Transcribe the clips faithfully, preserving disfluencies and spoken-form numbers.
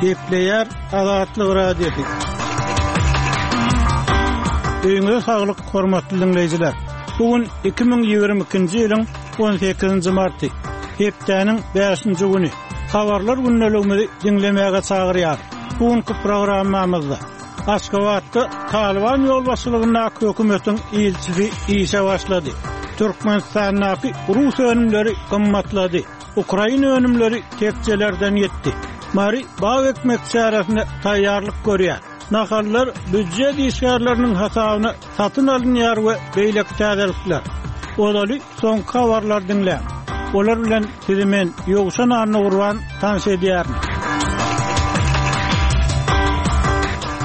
Gepleýär Azatlyk Radiosy. Öýüňize saglyk, hormatly diňleýjiler. Bu gün iki müň ýigrimi ikinji ýylyň on sekizinji marty, hepdäniň bäşinji güni. Habarlar gündeligimizi diňlemäge çagyrýar. Bu günki programmamyzda Aşgabatda Talyban ýolbaşçylygyndaky hökümetiň ilçisi işe başlady. Türkmenistandaky rus önümleri gymmatlady. Ukraina önümleri tekjelerden ýetdi. Mary bag ekmek çäresine taýýarlyk görýär. Nahallar býujet işgärleriniň hasabyna satyn alynýar we beýleki täzelikler. Ozaly soňky habarlar diňläň. Olar bilen sizi men Ýowşan Annagurban tanyş edýärin.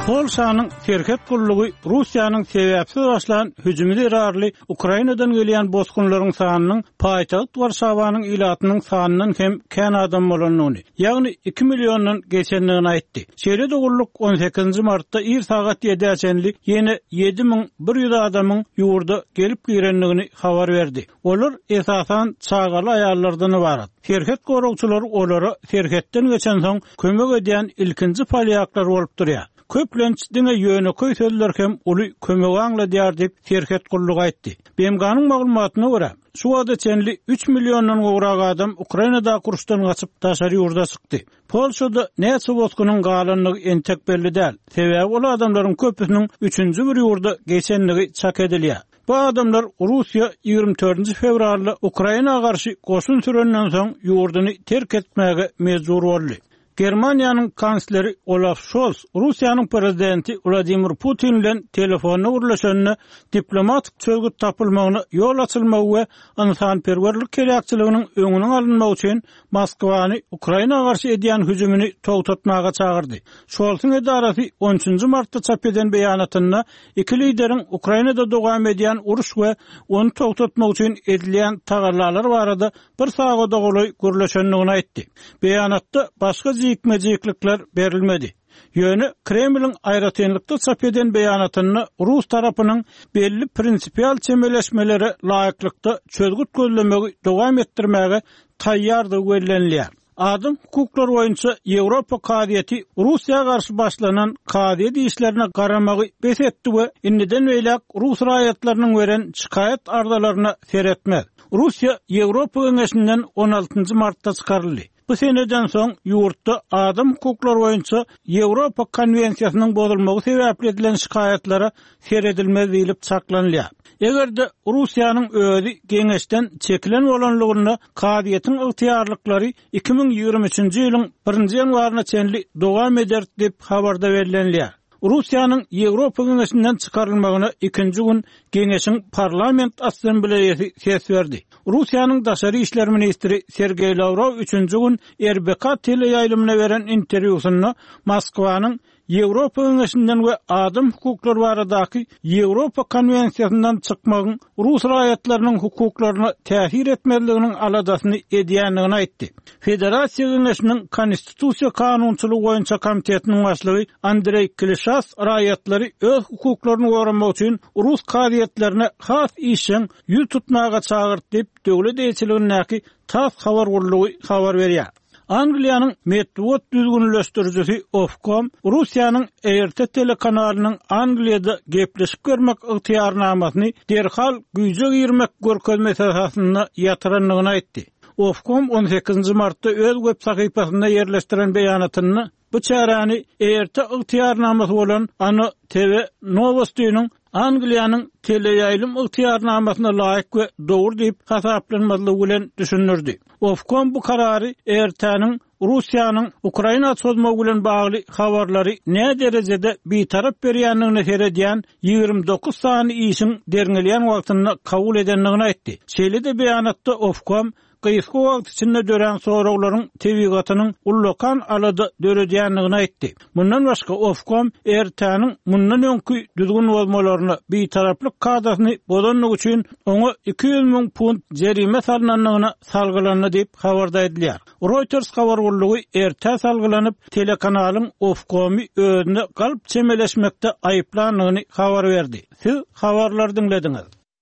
Polşanyň serhet gullugy Russiýanyň sebäpsiz başlan hüjümi zerarly Ukrainadan gelýän bosgunlaryň sanynyň paýtagt Warşawanyň ilatynyň sanyndan hem kän adam bolandygyny, ýagny iki milliondan geçendigini aýtdy. Şeýle-de gulluk on sekizinji martda ir sagat ýedä çenli ýene ýedi müň bir ýüz adamyň ýurda gelip girendigini habar berdi. Olar esasan çagaly aýallardan ibarat. Serhet goragçylary olara serhetden geçen soň kömek edýän ilkinji polýaklar bolup durýar. Köplenç diňe ýönekeý sözler hem uly kömegi aňladýar diýip serhet gullugy aýtdy. B M G-nyň maglumatyna görä, şu wagta çenli üç milliondan gowrak adam Ukrainada uruşdan gaçyp daşary ýurda çykdy. Polşada näçe bosgunyň galandygy entek belli däl. Sebäbi ol adamlaryň köpüsiniň üçünji bir ýurda geçendigi çak edilýär. Bu adamlar Russiýa ýigrimi dördünji fewralda Ukraina garşy goşun sürenden soň ýurduny terk etmäge mejbur boldy. Germaniýanyň kansleri Olaf Scholz Russiýanyň prezidenti Wladimir Putin bilen telefonda gürleşende diplomatik çözgüt tapylmagyna ýol açylmagy we ynsanperwerlik heläkçiliginiň öňüniň alynmagy üçin Moskwany Ukraina garşy edýän hüjümini togtatmaga çagyrdy. Scholzyň edarasy on üçünji martda çap eden beýanatynda iki lideriň Ukrainada dowam edýän uruş we ony togtatmak üçin edilýän tagallalar barada bir sagada golaý gürleşendigini aýtdy. Beýanatda başga jikme-jiklikler berilmedi. Ýöne Kremliň aýratynlykda çap eden beýanatynda Rus tarapynyň belli prinsipial çemeleşmelere laýyklykda çözgüt gözlemegi dowam etdirmäge taýýardygy bellenilýär. Adam hukuklary boýunça Ýewropa kazyýeti Russiýa garşy başlanan kazyýet işlerine garamagy bes etdi we indiden beýläk Rus raýatlarynyň beren şikaýat arzalaryna seretmez. Russiýa Ýewropa Geňeşinden on altynjy martda çykaryldy. Bu seneden soň ýurtda adam hukuklary boýunça Ýewropa konwensiýasynyň bozulmagy sebäpli edilen şikaýatlara seredilmez diýlip çaklanylýar. Eger-de Russiýanyň özi geňeşden çekilen bolanlygynda kazyýetiň ygtyýarlyklary iki müň ýigrimi üçünji ýylyň birinji ýanwaryna çenli dowam eder diýip habarda bellenilýär. Russiýanyň Ýewropa Geňeşinden çykarylmagyna ikinji gün Geňeşiň Parlament Assambleýasy ses berdi. Russiýanyň daşary işler ministri Sergeý Lawrow üçünji gün R B K teleýaýlymyna beren interwýusynda Moskwanyň Ýewropa Geňeşinden we adam hukuklary baradaky Ýewropa konwensiýasyndan çykmagyň Rus raýatlarynyň hukuklaryna täsir etmezliginiň aladasyny edýändigini aýtdy. Federasiýa Geňeşiniň Konstitusiýa kanunçylygy boýunça komitetiniň başlygy Andreý Klişas raýatlary öz hukuklaryny goramak üçin Rus kazyýetlerine has işjeň ýüz tutmaga çagyrdy diýip döwlet eýeçiligindäki TASS habar gullugy habar berýär. Angliýanyň metbugat düzgünleşdirijisi Ofcom Russiýanyň R T telekanalynyň Angliýada gepleşik bermek ygtyýarnamasyny derhal güýje girmek görkezmesi esasynda ýatyrandygyny aýtdy. Ofcom on sekizinji martda öz web sahypasynda ýerleşdiren beýanatynda bu çäräni R T ygtyýarnamasy bolan Ana T V Nowostynyň Angliýanyň teleýaýlym ygtyýarnamasyna laýyk we dogry diýip hasaplanmazlygy bilen düşündirdi. Ofcom bu karary R T-niň Russiýanyň Ukraina çozmagy bilen bagly habarlary nä derejede bitarap berýändigini seredýän ýigrimi dokuz sany işiň derňelýän wagtynda kabul edendigini aýtdy. Şeýle-de beýanatda Ofcom gysga wagt içinde dörän soraglaryň tebigatynyň ullakan alada döredýändigini aýtdy. Mundan başga Ofcom R T-niň mundan öňki düzgün bozmalaryna bitaraplyk kadasyny bozandygy üçin oňa iki ýüz müň funt jerime salynandygyna salgylandy diýip habarda aýdylýar. Reuters habar gullugy R T salgylanyp telekanalyň Ofcomy özüne galp çemeleşmekde aýyplandygyny habar berdi. Siz habarlary diňlediňiz.